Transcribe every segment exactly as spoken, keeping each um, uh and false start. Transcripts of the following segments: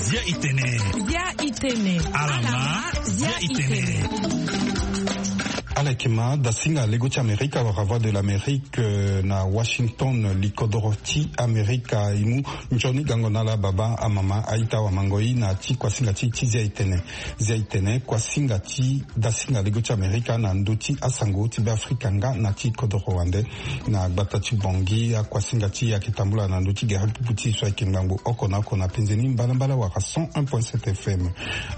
Zia itene. Zia itene. Alama. Zia itene. Ala yeke ma dasinga lego ti amerika wala voix de l'amérique, euh, na washington, likodoro ti amerika e mu nzoni gango na ala baba amama aita wamangoi na ti kuasinga ti ti zia itene. Zia itene kuasinga ti dasinga lego ti amerika na ndö ti asango ti beafrika nga na ti kodoro wande. Na gbata ti bongi akuasinga ti e ayeke tambula na ndö ti gere pupu ti e so ayeke ngbangbo oko na oko na penze ni mbalambala wala cent un point sept fm.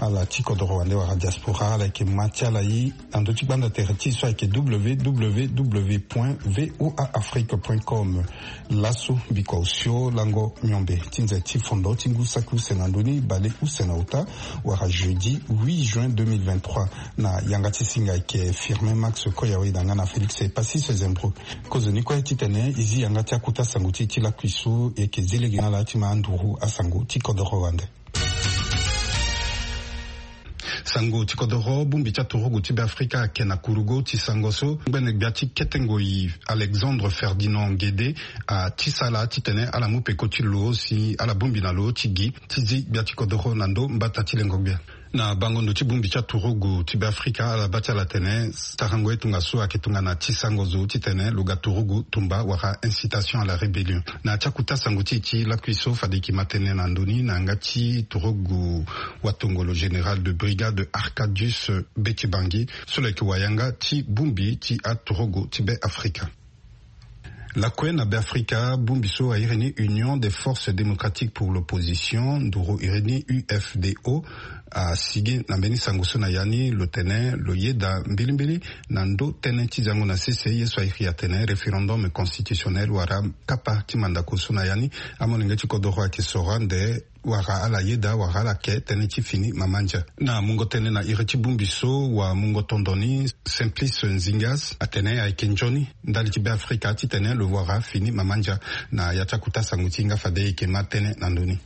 Ala ti kodoro wande wala diaspora ala yeke ma ti ala ye na ndö ti gbanda tere ti e so ayeke www point voa afrique point com. Laso bikua osio lango miombe ti nze ti fondo ti ngu saki use na ndö ni bale use na ota wala jeudi huit juin deux mille vingt-trois. Na yanga ti singa ayeke firmin max koyawe na nga na félix epassis zembro. Kozoni kue titene e zi yanga ti akota sango ti e ti lakui so e yeke zi lege na ala ti ma anduru asango ti kodoro wande. Sango ti kodoro bongbi ti aturugu ti beafrika ayeke na kurugo ti sango so ngbene gbia ti kete ngoi alexandre ferdinand guede atisa ala titene ala mu peko ti lo si ala bongbi na lo ti gi ti zi gbia ti kodoro na ndo mbata ti lengo gbia. Na bango ndo ti bongbi ti aturugu ti beafrika ala baa ti ala atene sarango ye tongana so ayeke tongana ti sango zo titene lo ga turugu tumba wala incitation à la rébellion. Na ti akuta sango ti e ti lakui so fade e yeke ma tënë na ndö ni na yanga ti turugu watongolo général de brigade arcadius betibangi so lo yeke wayanga ti bongbi ti aturugu ti beafrika. Lakue na beafrika bongbi so airi ni union des forces démocratiques pour l'opposition nduru iri ni ufdo asigi na mbeni sango so na ya ni lo tene lo yeda mbilimbili na ndo tënë ti zango na sese ye so airi atene référendum constitutionnel wala kapa ti mandako so na ya ni amolenge ti kodoro ayeke soro ande wara ala yeda wara ala ke tënë ti fini mama ndia. Na mungo tënë na iri ti bongbi so wa mungo tondo ni simplice nzingas atene ayeke nzoni ndali ti beafrika titene lo wara fini mama ndia. Na ya ti akuta sango ti e nga fade e yeke ma tënë na ndö ni.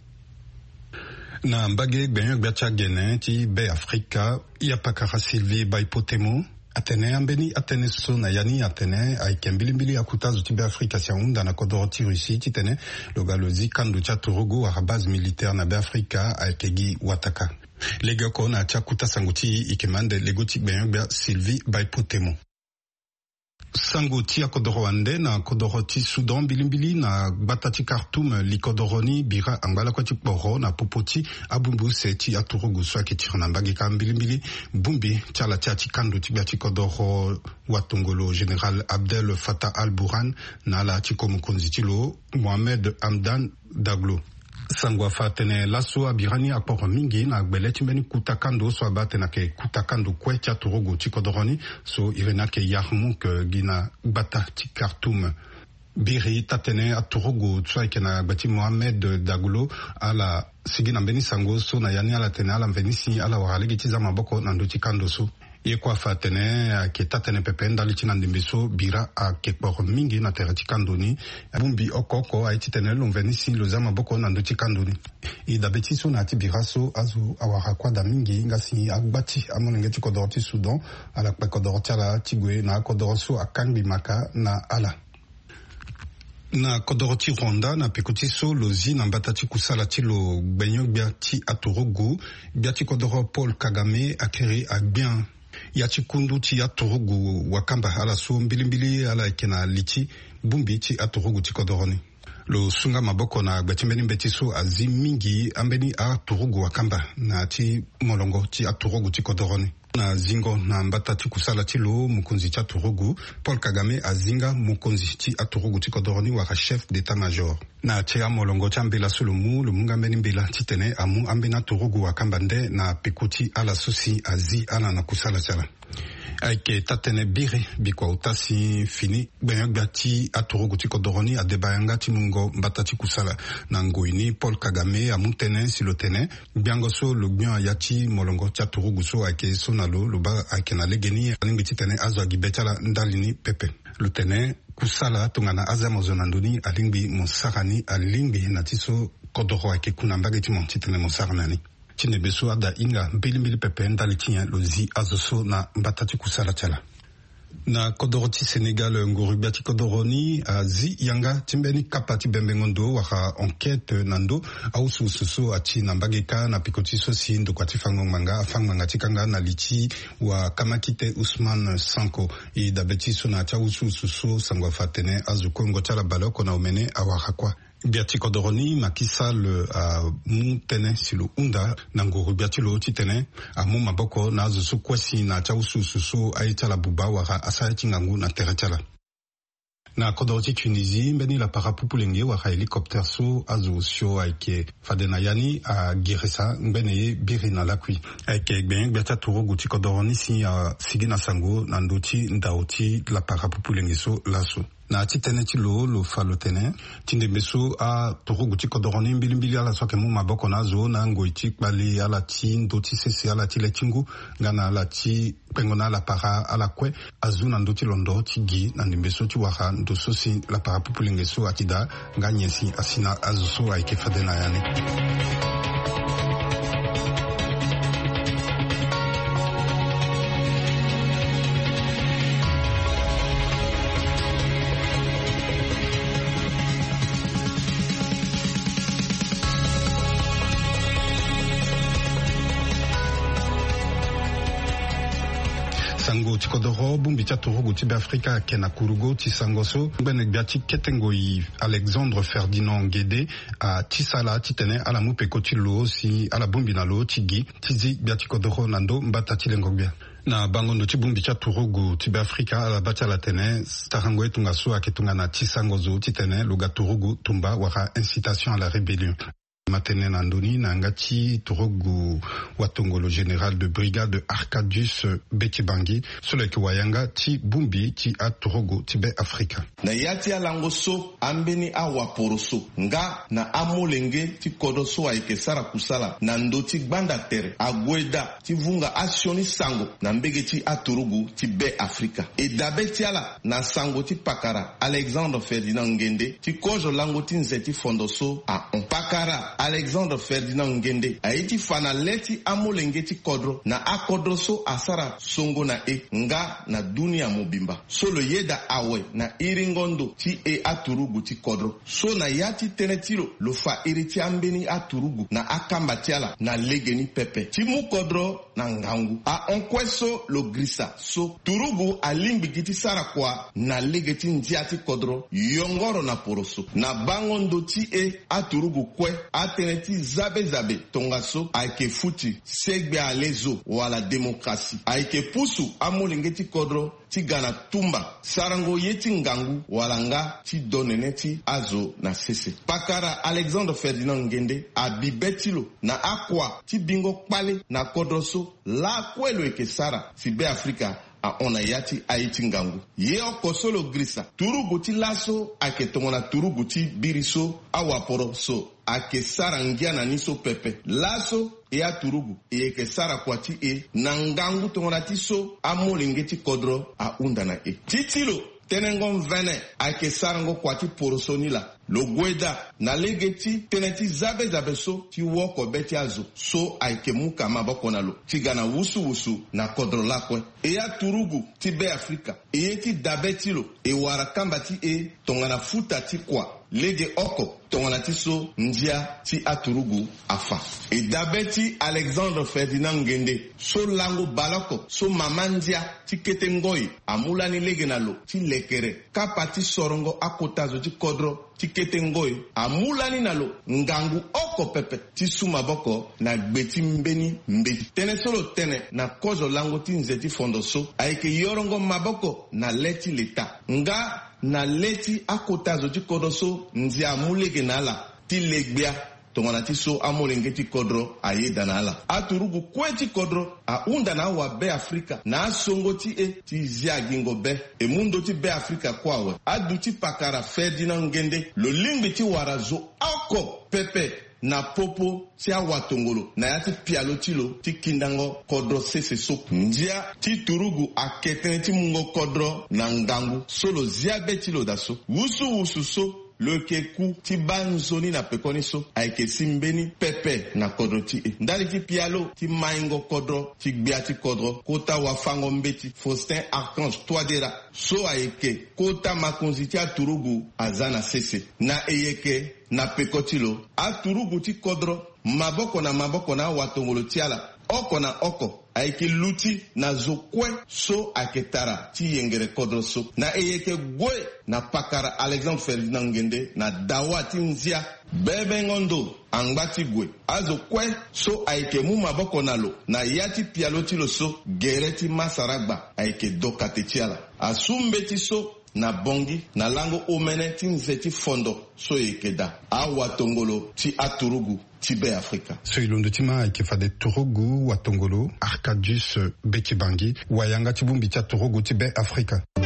Na mbage gbenyo-gbia ti agene ti beafrika yapakara sylvie baipotemo atene ambeni atënë so na ya ni atene ayeke mbilimbili akuta zo ti beafrika si ahunda na kodoro ti russie titene lo ga lo zi kando ti aturugu wala base militaire na beafrika ayeke gi wataka. Legeoko na ya ti akuta sango ti e e yeke ma ande lego ti gbenyo-gbia sylvie baipotemo. Sango ti akodoro wande na kodoro ti soudan mbilimbili na gbata ti khartoum likodoro ni bira angba lakue ti kporo na popo ti abongbi use ti aturugu so ayeke tiri na mbage kâ mbilimbili. Bongbi ti ala ti ya ti kando ti gbia ti kodoro watongolo général abdel fatah al-burhan na ala ti ko mokonzi ti lo mohamed hamdan daglo. Sango afa atene laso abira ni akporo mingi na gbele ti mbeni kuta kando so abaa atene ayeke kuta kando kue ti aturugu ti kodoro ni so iri ni ayeke yarmouk gi na gbata ti khartoum. Biri taa-tënë aturugu so ayeke na gbe ti mohamed daglo ala sigi na mbeni sango so na ya ni ala tene ala mveni si ala wara lege ti za maboko na ndö ti kando so. Ye kue afa atene ayeke taa-tënë pepe ndali ti na ndembe so bira ayeke kporo mingi na tere ti kando ni. Bongbi oko oko aye titene lo mveni si lo za maboko na ndö ti kando ni. E dabe ti so na ya ti bira so azo awara kuâ daa mingi nga si agba ti amolenge ti kodoro ti soudan ala kpe kodoro ti ala ti gue na akodoro so akangbi maka na ala. Na kodoro ti rwanda na peko ti so lo zi na mbata ti kusala ti lo gbenyo-gbia ti aturugu gbia ti kodoro paul kagame akiri agbia ya ti kundu ti aturugu wakamba ala so mbilimbili ala yeke na li ti bongbi ti aturugu ti kodoro ni. Lo sunga maboko na gbe ti mbeni mbeti so azi mingi ambeni aturugu wakamba na ya ti molongo ti aturugu ti kodoro ni. Na zingo na mbata ti kusala ti lo mokonzi ti aturugu paul kagame azinga mokonzi ti aturugu ti kodoro ni wala chef d'état-major. Na ti amolongo ti ambela so lo mu lo mu nga mbeni mbela titene amu ambeni aturugu wakamba nde na peko ti ala so si azi ala na kusala ti ala. Ayeke taa-tënë biri bikua ota si fini gbenyo-gbia ti aturugu ti kodoro ni adeba yanga ti mungo mbata ti kusala. Na ngoi ni paul kagame amu tënë si lo tene gbiango so lo gbia ya ti molongo ti aturugu so ayeke so na lo lo baa ayeke na legeni alingbi titene azo agi be ti ala ndali ni pepe. Lo tene kusala tongana aza mo zo na ndö ni alingbi mo sara ni alingbi na ti so kodoro ayeke ku na mbage ti mo titene mo sara na ni. Ti ndembe so ada hinga mbilimbili pepe ndali ti nyen lo zi azo so na mbata ti kusala ti ala. Na kodoro ti Sénégal, nguru-gbia ti kodoro ni azi yanga ti mbeni kapa ti bembengo ndo wala enquête na ndö awusuwusu so ati na mbage kâ na peko ti so si ndokua ti fango ngbanga afa ngbanga ti kanga na li ti wakamakite Ousmane Sanko. E dabe ti so na ya ti awusuwusu so sango afa atene azo kuengo ti ala baleoko na omene awara kuâ. Gbia ti kodoro ni Macky Sall amu tënë si lo hunda na nguru-gbia ti lo titene amu maboko na azo so kue si na ya ti awusuwusu so aye ti ala buba wala asara ye ti ngangu na tere ti ala. Na kodoro ti Tunisie, mbeni lapara pupulenge wala hélicoptère so azo osio ayeke fade na ya ni agirisa ngbene ye biri na lakui. Ayeke gbenye-gbia ti aturugu ti kodoro ni si asigi na sango na ndö ti ndao ti lapara pupulenge so laso. Na ya ti tënë ti lo, lo fa lo tene ti ndembe so aturugu ti kodoro ni mbilimbili ala so ayeke mu maboko na azo na ngoi ti kpale ala ti ndö ti sese, ala ti le ti ngu, nga na ala ti kpengo na ala para ala kue azu na ndö ti londo ti gi na ndembe so ti wara ndo so si lapara pupulenge so ati daa nga nyen si asi na azo so ayeke fade na ya ni. Sango ti kodoro, bongbi ti aturugu ti Beafrika ayeke na kurugo ti sango so ngbene gbia ti kete ngoi Alexandre Ferdinand Nguende ati sala titene ala mu peko ti lo si ala bongbi na lo ti gi ti zi gbia ti kodoro na ndö mbata ti lengo gbia. Na bango ndo ti bongbi ti aturugu ti Beafrika, ala baa ti ala tene sarango ye tongaso ayeke tongana ti sango zo titene lo ga turugu tumba wala incitation à la rébellion. Ma tene na ndö ni na yanga ti turugu watongolo général de brigade Arcadius Betibangi so lo yeke wayanga ti bongbi ti aturugu ti Beafrika. Na ya ti alango so, ambeni awaporoso nga na amolenge ti kodro so ayeke sara kusala na ndö ti gbanda tere ague daa ti vunga asioni sango na mbege ti aturugu ti Beafrika. E dabe ti ala na sango ti pakara Alexandre Ferdinand Nguende ti kozo lango ti nze ti fondo so ahon. Pakara Alexandre Ferdinand Nguende aye ti fa na le ti amolenge ti kodro na akodro so asara songo na e nga na dunia mobimba. So lo yeda awe na iringo ndo ti e aturugu ti kodro. So na ya ti tënë ti lo, lo fa iri ti ambeni aturugu na akamba ti ala na legeni pepe ti mu kodro na ngangu. Ahon kue so lo girisa so turugu alingbi gi ti sara kua na lege ti ndia ti kodro yongoro na poroso. Na bango ndo ti e aturugu kue, atënë ti zabezabe tongaso ayeke futi segbe ale zo wala démocratie. Ayeke pusu amolenge ti kodro ti ga na tumba, sarango ye ti ngangu wala nga ti do nene ti azo na sese. Pakara Alexandre Ferdinand Nguende abi be ti lo na akua ti bingo kpale na kodro so lakue lo yeke sara si Beafrika ahon na ya ti aye ti ngangu. Ye oko so lo girisa, turugu ti laso ayeke tongana turugu ti biri so awaporo so ayeke sara ngia na ni so pepe. Laso e aturugu e yeke sara kua ti e na ngangu tongana ti so amolenge ti kodro ahunda na e. Ti ti lo, tenengo mvene ayeke sarango kua ti poroso ni laa. Lo gue daa na lege ti tënë ti zabezabe so ti woko be ti azo so ayeke mu ka maboko na lo ti ga na wusuwusu na kodro lakue. E aturugu ti Beafrika, e ye ti dabe ti lo e wara kamba ti e tongana futa ti kua lege oko tongana ti so ndia ti aturugu afa. E dabe ti Alexandre Ferdinand Nguende so lango baleoko so mama ndia ti kete ngoi amu lani lege na lo ti lekere kapa ti sorongo akota zo ti kodro ti kete ngoi amu lani na lo ngangu oko pepe ti su maboko na gbe ti mbeni mbeti. Tënë so lo tene na kozo lango ti nze ti fondo so ayeke yorongo maboko na le ti leta nga na le ti akota zo ti kodro so ndia amu lege na ala ti le gbia tongana ti so amolenge ti kodro ayeda na ala. Aturugu kue ti kodro ahunda na awabeafrika na asongo ti e ti zia gingo be. E mu ndö ti Beafrika kue awe. Aduti pakara Ferdinand Nguende lo lingbi ti wara zo oko pepe na popo ti awatongolo na ya ti pialo ti lo ti kindango kodro sese so. Ndia ti turugu ayeke tënë ti mungo kodro na ngangu so lo zia be ti lo daa so. Wusuwusu so lo yeke ku ti baa nzoni na pekoni so ayeke si mbeni pepe na kodro ti e. Ndali ti pialo ti maingo kodro ti gbia ti kodro, kota wafango mbeti Faustin Archange Touadéra, so ayeke kota makonzi ti aturugu aza na sese. Na e yeke na peko ti lo, aturugu ti kodro maboko na maboko na awatongolo ti ala oko na oko ayeke luti na zo kue so ayeke tara ti yengere kodro so. Na e yeke gue na pakara Alexandre Ferdinand Ngende na dawa ti nzia. Bebengo ndo angba ti gue. Azo kue so ayeke mu maboko na lo na ya ti pialo ti lo so, gere ti masaragba ayeke dokate ti ala. Asu mbeti so na Bangui na lango omene ti nze ti fondo so e yeke daa awatongolo ti aturugu ti Be Afrika. So e londo ti ma ayeke fade turugu watongolo Arcadius Beki Bangui, wayanga ti bongbi ti aturugu ti Be Afrika. E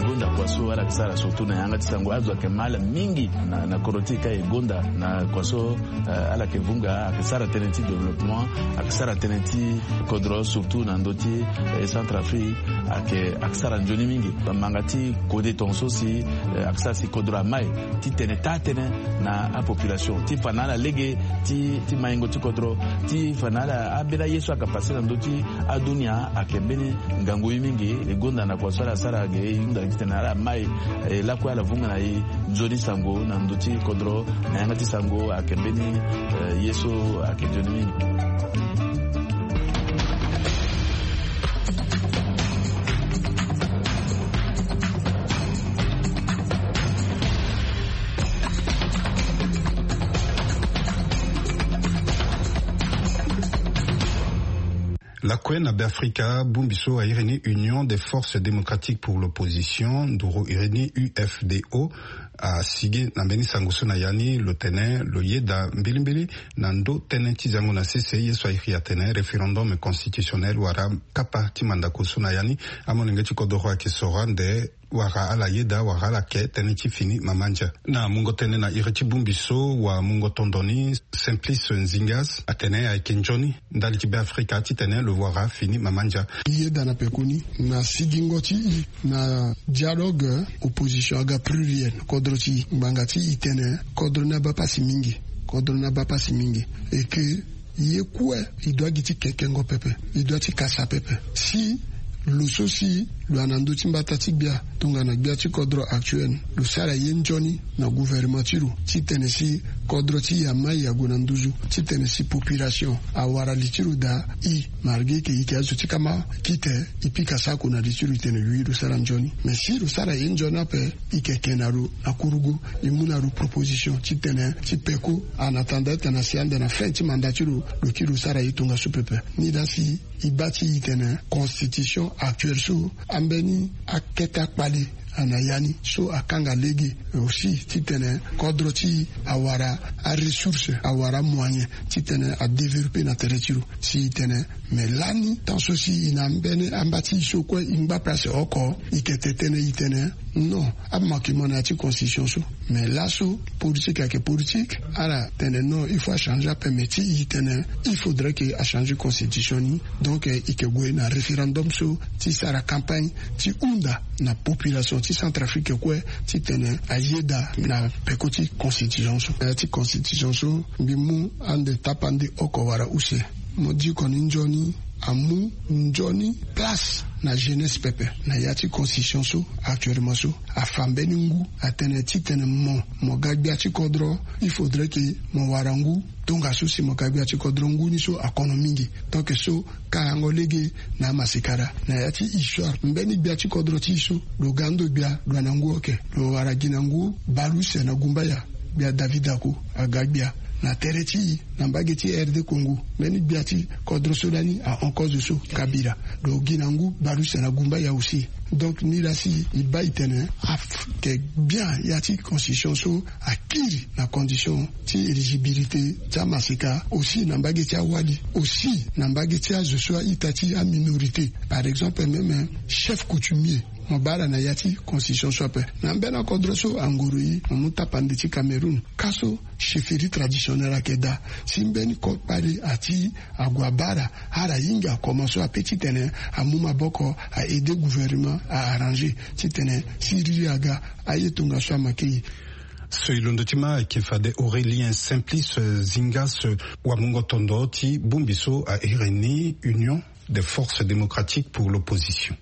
gonda kua so ala yeke sara surtout na yanga ti sango, azo ayeke ma ala mingi na, na kodro ti e ka e gonda na kua so, eh, ala yeke vunga, ayeke sara tënë ti développement, ayeke sara tënë ti kodro surtout na ndö ti, eh, Centrafrique, ayeke, ayeke sara nzoni mingi. Manga ti kode tongaso si, eh, ayeke sara si kodro amai ti tene taa tënë na apopulation ti fa na ala lege ti, ti maingo ti kodro, ti fa na ala ambeni aye so ayeke pase na ndö ti adunia ayeke mbeni ngangu ye mingi. E gonda na kua so ala sara ge, e hunda gi titene ala mai, eh, lakue ala vunga na e nzoni sango na ndö ti kodro na yanga ti sango ayeke mbeni, eh, ye so ayeke nzoni mingi. Lakue na Beafrika, bongbi so a iri ni Union des Forces Démocratiques pour l'Opposition, nduru iri ni U F D O, asigi na mbeni sango so na ya ni lo tene lo yeda mbilimbili na ndö tënë ti zango na sese ye so a iri atene référendum constitutionnel wala kapa ti mandako so na ya ni amolenge ti kodoro ayeke soro ande wala ala yeda wala ala ke tënë ti fini mama ndia. Na mungo tënë na iri ti bongbi so wa mungo tondo ni, Simplice Nzingas atene ayeke nzoni ndali ti Beafrika titene lo wara fini mama ndia. Yeda na pekoni na sigingo ti i na dialogue opposition aga pluriel kodro ti i ngbanga ti i tene kodro ni abaa pasi mingi, kodro ni abaa pasi mingi. Et que ye kue i doit gi ti kekengo pepe, i doit ti kasa pepe. Si lo so si lo yeke na ndö ti mbata ti gbia tongana gbia ti kodro actuel, lo sara ye nzoni na gouvernement ti lo titene si kodro ti i amai ague na nduzu, titene si population awara li ti lo daa. I, malgré que i yeke azo ti kama kite, i pika sako na li ti lo, i tene wi lo sara nzoni. Mais si lo sara ye nzoni ape, i yeke ke na lo na kurugu, i mu na lo proposition titene ti peko, en attendant titene asi ande na fin ti mandat ti lo, lo kiri lo sara ye tongaso pepe. Ni laa si i baa ti i tene constitution actuelle so ambeni akete akpale ana ya ni so akanga lege aussi titene kodro ti i awara aressource, awara amoyen titene adévelopper na tere ti lo. Si i tene, mais lani tant so si i na mbeni amba ti i so kue i ngba place oko, i yeke tene i tene non, amanquement na ya ti constitution so. Mais laso politique ayeke politique, ala tene non, il faut achanger ape, mais ti i tene il faudrait que achanger constitution ni. Donc, eh, i yeke gue na référendum so ti sara campagne ti hunda na population ti Centrafrique kue titene ayeda na peko ti constitution so. Eh, ti constitution so mbi mu ande tapande oko wala use. Mo diko ni nzoni amu nzoni place na jeunesse pepe na ya ti constitution so. Actuellement so afa mbeni ngu, atene titene mo, mo ga gbia ti kodro, il faudrait que mo wara ngu tongaso si mo ga gbia ti kodro. Ngu ni so akono mingi. Donc so karango lege na amasika daa na ya ti histoire. Mbeni gbia ti kodro ti i so lo ga ndo gbia, lo na ngu oke, lo wara gi na ngu baleuse na gumbaya. Gbia David Ako aga gbia na tere ti i na mbage ti R D Congo. Mbeni gbia ti kodro so lani ahon kozo so, Kabila, lo gi na ngu baleuse na gumbaya aussi. Donc ni laa si i baa i tene ayeke bien ya ti constitution so akiri na condition ti éligibilité ti amasika aussi na mbage ti awali, aussi na mbage ti azo so a-ita ti aminorité. Par exemple même chef coutumier Mo bara na ya ti constitution so ape. Na mbeni akodro so anguru yi mo mu tapande ti Cameroun, ka so chefferie traditionnelle ayeke daa. Si mbeni kpale ati ague abara, ala hinga comment so ape titene amu maboko, a aide gouvernement a arranger titene si riri aga, aye tongaso amake ye. So e londo ti ma ayeke fade Aurélien Simplice Zingas, wamungo tondo ti bongbi so a iri ni Union des forces démocratiques pour l'opposition.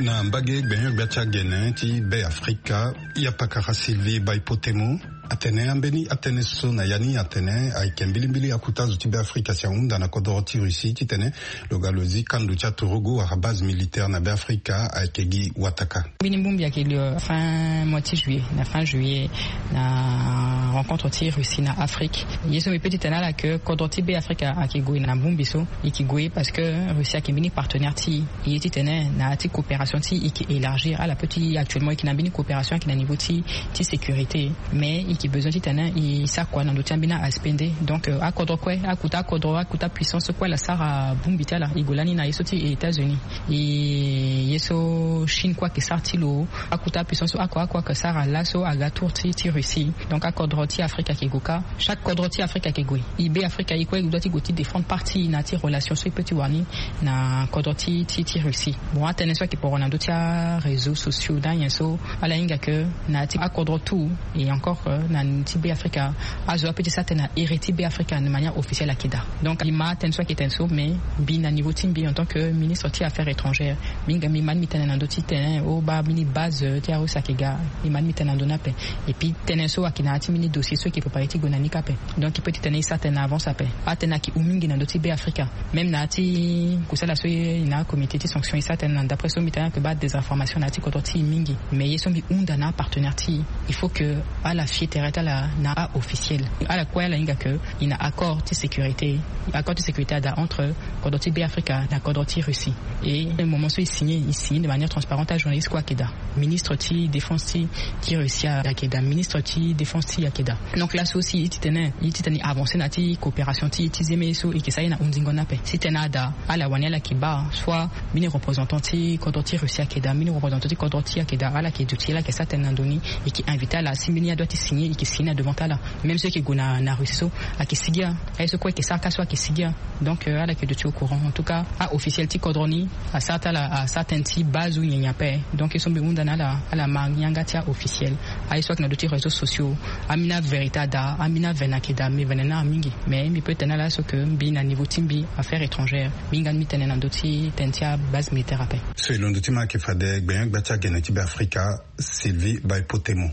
Na mbage gbenyo-gbia ti agene ti Be Afrika, ya pakara Sylvie Baipotemo atene ambeni atënë so na ya ni atene ayeke mbilimbili akuta azo ti Be Afrika si ahunda na kodoro ti Russie titene lo ga lo zi kando ti aturugu wala base militaire na Be Afrika ayeke gi wataka. Mbeni bongbi ayeke li fin mois ti juillet, na fin juillet, na rencontre ti Russie na Afrique. Ye so mbi pe ti tene ala ke kodro ti Be Afrika ayeke gue na bongbi so, e yeke gue parce que Russie ayeke mbeni partenaire ti e. E ye titene na ya ti coopération ti e, e yeke élargir ala pe ti actuellement e yeke na mbeni coopération ayeke na niveau ti ti sécurité. Mais e yeke besoin titene e sara kua na ndö ti ambeni aspect nde. Donc akodro kue, akuta akodro, akuta puissance kue ala sara bongbi ti ala. E gue lani na ye so ti États-Unis, e ye so Chine kue ayeke sara ti lo. Akuta puissance oko oko ayeke sara laso aga tour ti ti Russie. Donc akodro ti Afrika ayeke gue kâ. Chaque kodro ti Afrika ayeke gue. E Be Afrika e kue e doit ti gue ti défendre partie na ya ti relation so e pe ti wara ni na kodro ti ti ti Russie. Bon, atënë so ayeke poro na ndö ti aréseaux sociaux na nyen so, ala hinga ke na ya ti akodro tout. Et encore na ti Be Afrika, azo ape ti sara tënë na iri ti Be Afrika na manière officielle ayeke daa. Donc e ma atënë so ayeke tene so, mais mbi na niveau ti mbi en tant que ministre ti affaires étrangères, mbi hinga mbi ma ni mbi tene na ndö ti tene o baa mbeni base ti Arussie ayeke ga. Mbi ma ni mbi tene na ndö ni ape. Et puis tënë so ayeke na ya ti mbeni dossier so e yeke préparer ti gue na ni kâ ape. Donc e pe ti tene e sara tënë na avance ape. Atënë ayeke hon mingi na ndö ti Be Afrika. Même na ya ti kusala so e na comité ti sanction e sara tënë na, d'après so mbi tene ayeke baa désinformation na ya ti kodro ti e mingi. Mais ye so mbi hunda na apartenaire ti e, il faut que ala fie tere ti ala na aofficiel. Ala kue ala hinga ke e na accord ti sécurité. Accord ti sécurité ada entre kodro ti Be Afrika na kodro ti Russie. Et moment so e signé, e signé de manière transparente, ajournaliste kue ayeke daa. Ministre ti défense ti ti Russie ayeke daa, ministre ti défense ti e ayeke daa. Donc laso si e ti tene, e ti tene e avancer na ya ti coopération ti e ti zeme so e yeke sara ye na hundingo ni ape. Si tënë ada, ala wani ala yeke baa soit mbeni représentant ti kodro ti Russie ayeke daa, mbeni représentant ti kodro ti e ayeke daa, ala yeke duti ala yeke sara tënë na ndö ni. E yeke inviter ala si mbeni adoit ti signer e yeke signer na devant ti ala. Même so e yeke gue na na Russie so ayeke sigi a. Aye so kue e yeke sara kâ so ayeke sigi a. Donc ala yeke duti au courant. En tout cas aofficiel ti kodro ni asara ti ala asara tënë ti base ou nyen nyen ape. Donc ye so mbi hunda na ala, ala ma yanga ti aofficiel. Aye so ayeke na ndö ti réseaux sociaux, ambeni avérité ada, ambeni avene ayeke daa, mbi vene na ala mingi. Mais mbi pe tene na ala so ke mbi na niveau ti mbi affaires étrangères, mbi hinga ni mbi tene na ndö ti tënë ti abase militaire ape. So e londo ti ma ayeke fade gbenyo-gbia ti agene ti Be Afrika, Sylvie Baipotemo.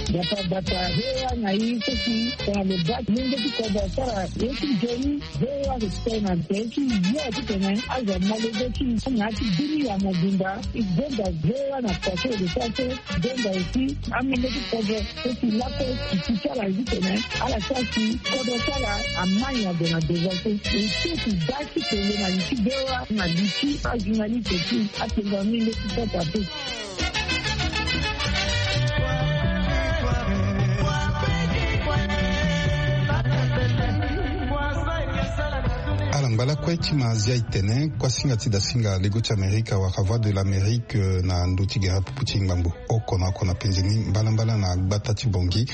Bata bata V O A na e so si tongana lo baa ti lenge ti kodro asara ye ti nzoni. V O A respect na nze ti ye titene azo amolenge ti na ya ti bini ya mobimba. E gonda V O A na kua so e lo sara so. Gonda aussi amolenge ti kodro so si lakue e si ti ala titene ala sara si kodro ti ala ama nyen ague na devant so. E so si baa ti tene na li ti V O A na li ti ajournaliste ti apengo amolenge ti kodro ape. Ala ngba lakue ti ma zia e tene kuasinga ti dasinga lego ti Amerika wala Voix de l'Amérique, eh, na ndö ti gere apupu ti ngbangbo oko na oko na penze ni mbalambala na gbata ti Bangui.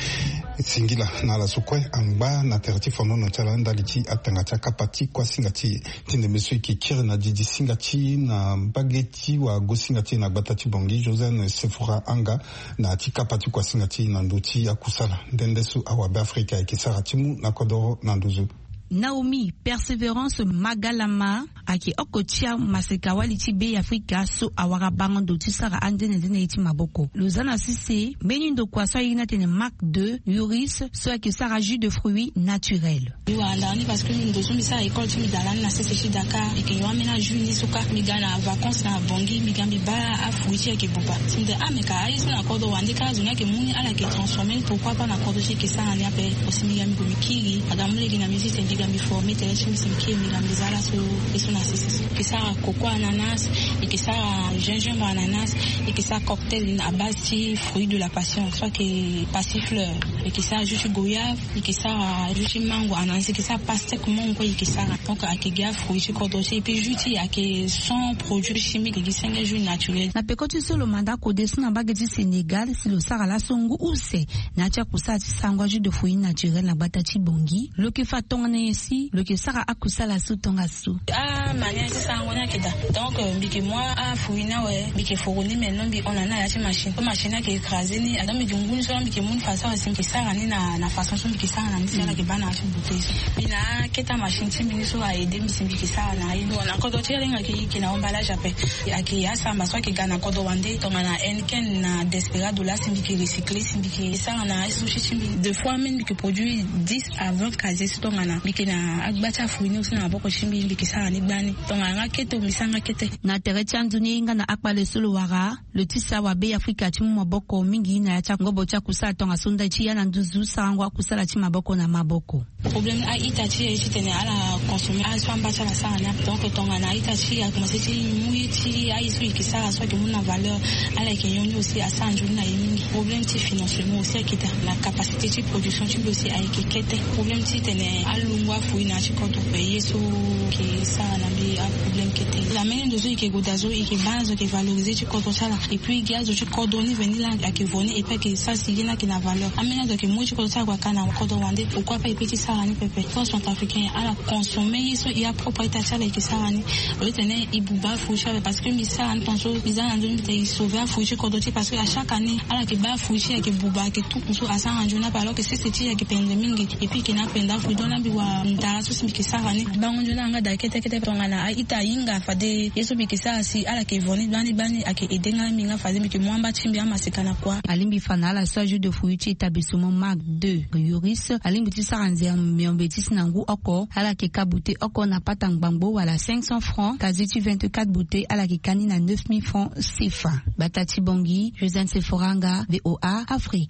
Singila na ala so kue angba na tere ti fandono ti ala ndali ti atanga ti akapa ti kuasinga ti e. Ti ndembe so e yeke kiri na didi singa ti e na mbage ti wagosinga ti e na gbata ti Bangui, Josiane Sefora Anga, na ya ti kapa ti kuasinga ti e na ndö ti akusala nde nde so awabe Afrika ayeke sara ti mu na kodoro na nduzu. Naomi Persévérance Magalama ayeke oko ti amaseka-wali ti Be Afrika so awara bango ndo ti sara anzenenzene ye ti maboko. Lo za na sese mbeni ndokua so airi ni atene Marc deux Yoris so ayeke sara jus de fruits naturels. Mbi wara ndara ni parce que ndo so mbi sara école ti mbi da lani na sese ti Dakar, e yeke yo ambeni ajus ni so kâ. Mbi ga na vacances na Bangui, mbi ga mbi baa afruits ti e ayeke buba. Si mbi tene ah mais ka aye so na kodro wande kâ azo ni ayeke mu ni ala yeke transformer, pourquoi pas na kodro ti e e yeke sara ni ape. Aussi mbi ga mbi gue mbi kiri, aga mu lege na mbi ti tene mbi ga mbi former tënë ti mbi si mbi kiri mbi ga mbi za ala so. E so Eke sara coco ananas, eke sara gingembre ananas, eke sara cocktail à base ti fruit de la passion, soit ke passifleur, eke sara jus ti goyave, eke sara jus ti mango ananas, eke sara pastèque mongo kue eke sara. Donc ake gi afruit ti kodro ti e, et puis jus ti e ake sans produit chimique, eke gi senge jus naturel. Na peko ti so lo manda kode so na mbage ti Sénégal si lo sara laso ngu use na ya ti akusala ti sarango ajus de fruit naturel na gbata ti Bangui. Lo ke fa tongana nyen si lo ke sara akusala so tongaso? Ah, manière ti sarango ni ake daa. Donc mbi ke mu afruit ni awe, mbi ke foro ni, mais non, mbi hon na ni na ya ti machine, so machine ni ake écrasé ni. Donc mbi ke ngu ni so, mbi ke mu ni façon si mbi ke sara ni na façon so mbi ke sara na ni si ala ke baa na ya ti bouteille so. Mbi na akete machine ti mbi ni so a aidé mbi si mbi ke sara na aye. Bon, na kodro ti ala hinga ke, ke na emballage ape. Ake asamba so ake ga na kodro wande, tongana Heineken na Desperado, la si mbi ke recycler si mbi ke sara na aye so ti mbi. Deux fois même mbi ke produire dix à vingt casiers so tongana mbi ke na agba ti afruit ni aussi na maboko ti mbi, mbi ke sara ni gbani. Tongana nga kete, mbi sara nga kete. Na tere ti anzoni e hinga na akpale so lo wara, lo tisa wabe Afrika ti mu maboko mingi na ya ti angobo ti akusala tongaso ndali ti ya na nduzu sarango akusala ti maboko na maboko. Problème a-ita ti e titene ala consommer aye so amba ti ala sara ni ape. Donc tongana a-ita ti e akomanse ti mu ye ti aye so e ke sara so ayeke mu na valeur, ala yeke nyon ni aussi asara nzoni na e mingi. Problème ti financement aussi ayeke daa, na capacité ti production ti mbi aussi ayeke kete. Problème titene alongo afruit na ya ti kodro, pe ye so e ke sara na mbi aproblème kete. Ameni ndo so e ke gue daa so e ke baa azo ayeke valoriser ti kodro ti ala. Et puis e gi azo ti kodro ni veni laa ayeke vo ni, et puis ayeke sara si ye ni ayeke na valeur. Ameni azo ayeke mu ye ti kodro ti ala gue aka na kodro wande. Pourquoi pas e peut ti sara ni pepe? Tant centrafricain ala consommer ye so e apropre a-ita ti ala e ke sara ni. Au lieu titene e buba afruit ti ala, parce que mbi sara ni tongaso, mbi za na nzoni mbi titene e sauver afruit ti kodro ti e, parce que à chaque année ala yeke baa afruit ti e ayeke buba, ayeke tout so asara nzoni ape, alors que sese ti e ayeke pendre mingi. Et puis e ke na apendre afruit, donc laa mbi wara ndara so si mbi ke sara ni. Bango nzoni na yanga daa kete kete. Tongana a-ita ahinga, fade ye so mbi ke sara si ala yeke vo ni gbani gbani ayeke aider nga mingi nga, fade mbi yeke mu amba ti mbi amaseka na kua. Alingbi fa na ala so ajus de fruit ti établissement Marc deux Yoris, alingbi ti sara nze miombe ti si na ngu oko, ala yeke ka bouteille oko na pata ngbangbo wala cinq cents francs, kasi ti vingt-quatre bouteilles ala yeke ka ni na neuf mille francs CFA. Gbata ti Bangui, Josiane Sephora Nga, V O A Afrique.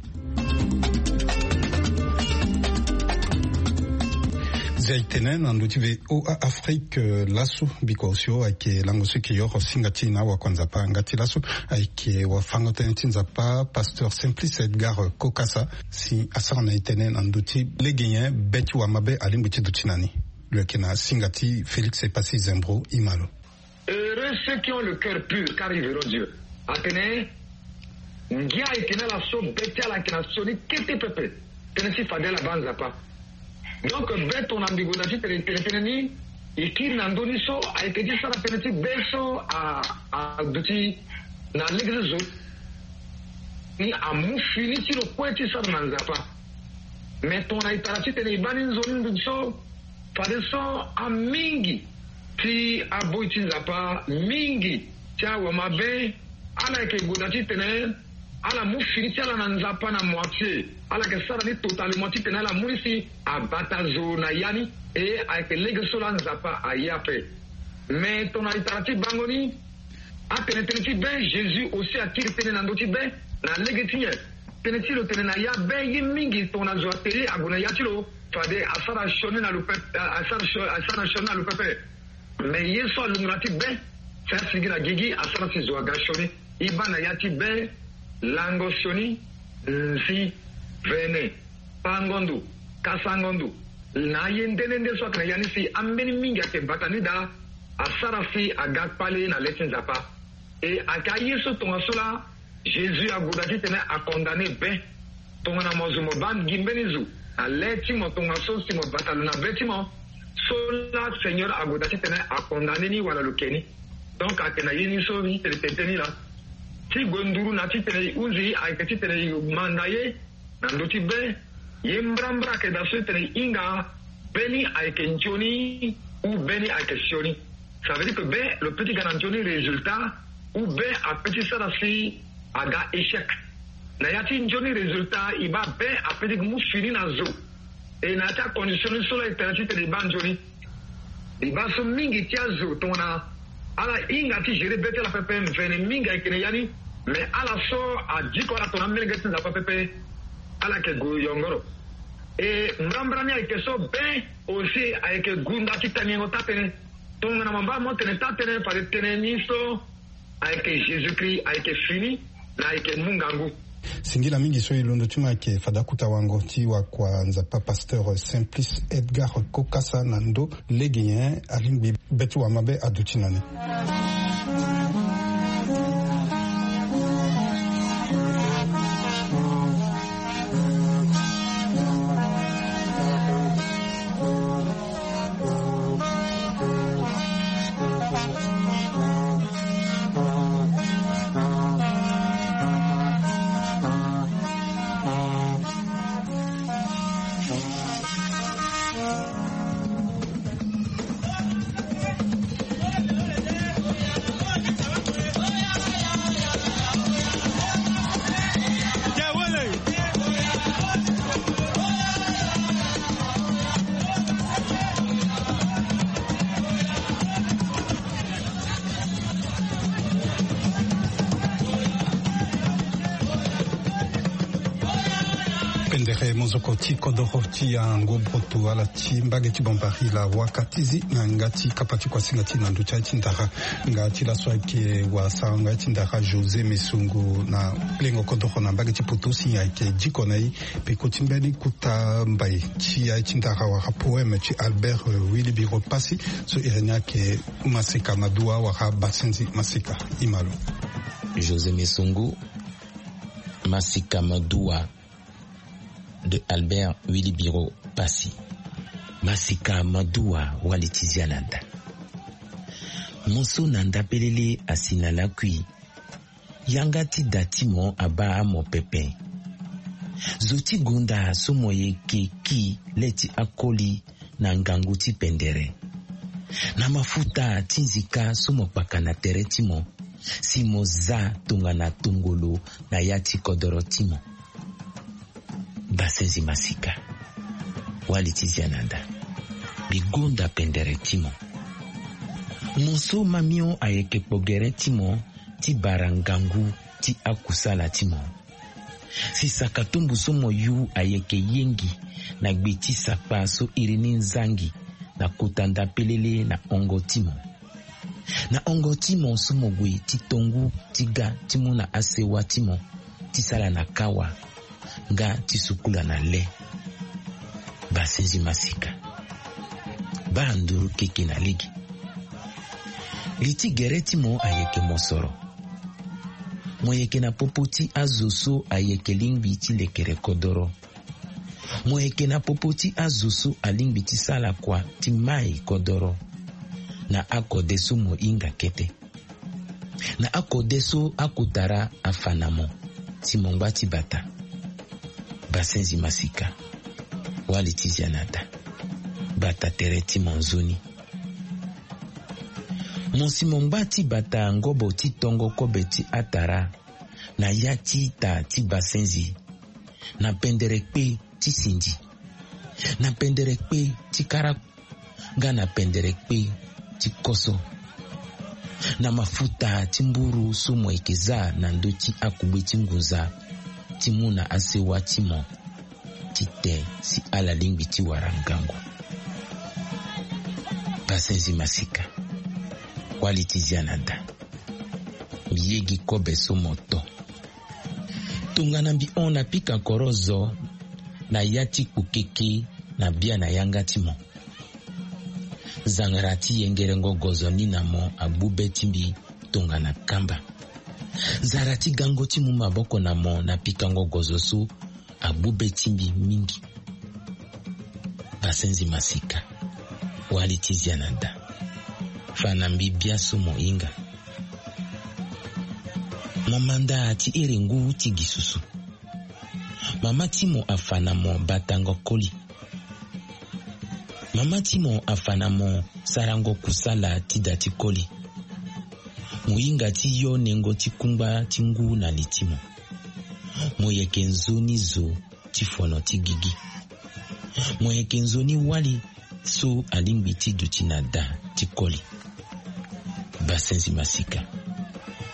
Zia e tene na ndö ti V O A Afrique, eh, laso, biko osio ayeke lango so e ke yoro singa ti e na awakua Nzapa. Nga ti laso ayeke wafango-tënë ti Nzapa, pasteur Simplice Edgar Kokasa, si asara na e tënë na ndö ti lege nyen be ti wamabe alingbi ti duti na ni. Lo yeke na singa ti Félix Epassi Zembro, e ma lo. Heureux ceux qui ont le cœur pur, car ils verront Dieu. Atene, ngia ayeke na ala so be ti ala ayeke na sioni kete pepe, tënë ti fade ala baa Nzapa. Donc be tongana mbi gue daa titene e tene tënë ni, e kiri na ndö ni so ayeke ti sara tënë ti be so a, aduti na lege ti zo ni, amu fini ti lo kue ti sara na Nzapa. Me tongana e tara titene e baa ni nzoni nduti so, fadeso amingi ti aboi ti Nzapa, mingi ti awamabe, ala yeke gue daa titene ala mu fini ti ala na Nzapa na moitié. Ala yeke sara ni totalement titene ala mu ni si abata zo na ya ni. E ayeke lege so laa Nzapa aye ape. Me tongana e tara ti bango ni, atene tënë ti be, Jésus aussi akiri tënë na ndö ti be. Na lege ti nyen? Tënë ti lo tene na ya be, ye mingi tongana zo ate ye ague na ya ti lo, fade asara sioni na lo pepe, asara sio-, asara sioni na lo pepe. Me ye so alungo na ya ti be, si asigi na gigi, asara si zo aga sioni. E baa na ya ti be, lango sioni, nzi, vene, pango ndo, kasango ndo, na aye nde nde nde so ayeke na ya ni si ambeni mingi ayeke bata ni daa, asara si aga kpale na le ti Nzapa. E ayeke aye so tongaso laa Jésus ague daa titene acondamné be. Tongana mo zo mo baa gi mbeni zo na le ti mo tongaso si mo bata lo na be ti mo, so laa Seigneur ague daa titene acondamné ni wala lo ke ni. Donc ayeke na ye ni so e tene tene ni laa. Ti gue nduru na titene e hunzi ayeke titene e manda ye na ndö ti be, ye mbrambra ayeke daa so e tene e hinga be ni ayeke nzoni ou be ni ayeke sioni. Ça veut dire que be lo peut ti ga na nzoni résultat, ou be apeut ti sara si aga échec. Na ya ti nzoni résultat, e baa be apeut ti mu fini na zo. E na ya ti acondition ni so laa e tene titene e baa nzoni. E baa so mingi ti azo tongana ala hinga ti gérer be ti ala pepe, mvene mingi ayeke na ya ni. Mais ala so adiko ala tongana amolenge ti Nzapa pepe, ala yeke gue yongoro. E mbrambra ni ayeke so be aussi ayeke gunda ti tangengo taa-tënë. Tongana mamba mo tene taa tënë fade tënë ni so ayeke Jésus-Christ ayeke fini na ayeke mu ngangu. Singila mingi so e londo ti mo ayeke fade akuta wango ti wakua Nzapa pasteur Simplice Edgar Kokasa na ndo lege nyen alingbi be ti wamabe aduti na ni. Pendere mozoko ti kodoro ti yango broto ala ti mbage ti Bambari la waka ti zi na yanga ti kapa ti kuasinga ti na ndö ti aye ti ndara. Nga ti laso ayeke wara sarango aye ti ndara José Mesongo na lengo kodoro na mbage ti poto si ayeke diko na e. Peko ti mbeni kuta mbai ti aye ti ndara wala poème ti Albert, euh, Wilibiro Passy so iri ni ayeke Masika Madua wala Basenzi Masika. Imalo. José Mesongo, Masika Madua de Albert Wilibiro Passy. Masika Madua, wali ti zia na nda. Mo so na nda pelele asi na lakui. Yanga ti da ti mo abaa mo pepe. Zo ti gonda so mo yeke ki le ti akoli na ngangu ti pendere. Na mafuta ti nzika so mo kpaka na tere ti mo, si mo za tongana tongolo na ya ti kodoro ti mo. Basenzi Masika, wali ti zia na nda. Mbi gonda pendere ti mo. Mo so mamio ayeke kpo gere ti mo ti bara ngangu ti akusala ti mo. Si sakatumbu so mo yu ayeke yengi na gbe ti sakpa so iri ni nzangi na kota nda pelele na hongo ti mo. Na hongo ti mo so mo gue ti tongu ti ga ti mu na asewa ti mo ti sala na kawa nga ti sukula na le. Basenzi Masika, baa nduru keke na lege. Li ti gere ti mo ayeke mosoro. Mo yeke na popo ti azo so ayeke lingbi ti lekere kodoro. Mo yeke na popo ti azo so alingbi ti sala kua ti mai kodoro na akode so mo hinga kete. Na akode so akotara afa na mo si mo ngba ti bata. Basenzi Masika, wali ti zia na da. Bata tere ti mo nzoni. Mo si mo ngba ti bata ngobo ti tongo kobe ti atara na ya ti ita ti basenzi, na pendere kpe ti sindi, na pendere kpe ti kara, nga na pendere kpe ti koso, na mafuta ti mburu so mo yeke za na ndö ti akugbe ti ngunza ti mu na asewa ti mo ti te si ala lingbi ti wara ngangu. Basenzi Masika, wali ti zia na da. Mbi yegi kobe so mo to. Tongana mbi hon na pika koro zo na ya ti kpokeke na bia na yanga ti mo. Zangara ti yengerengo gozo ni na mo agbu be ti mbi tongana kamba. Zara ti gango ti mu maboko na mo na pikango gozo so agbu be ti mbi mingi. Basenzi Masika, wali ti zia na da. Fa na mbi bia so mo hinga. Mo manda ti iri ngu ti gi susu. Mama ti mo afa na mo batango koli. Mama ti mo afa na mo sarango kusala ti da ti koli. Mo hinga ti yo nengo ti kungba ti ngu na li ti mo. Mo yeke nzoni zo ti fono ti gigi. Mo yeke nzoni wali so alingbi ti duti na da ti koli. Basenzi Masika,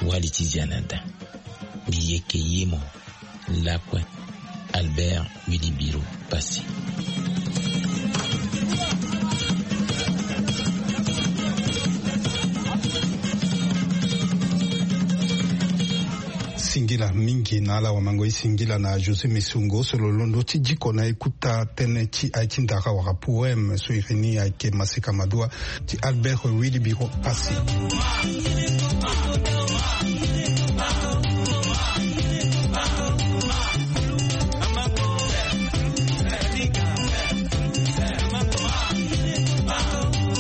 wali ti zia na da. Mbi yeke ye mo. Lakue. Albert Wilibiro Passy. Mingi na ala wamango e singila na José Mesongo so lo londo ti diko na e kota tënë ti aye ti ndara wala poème so iri ni ayeke Maseka Madua ti Albert Wilibiro Passy.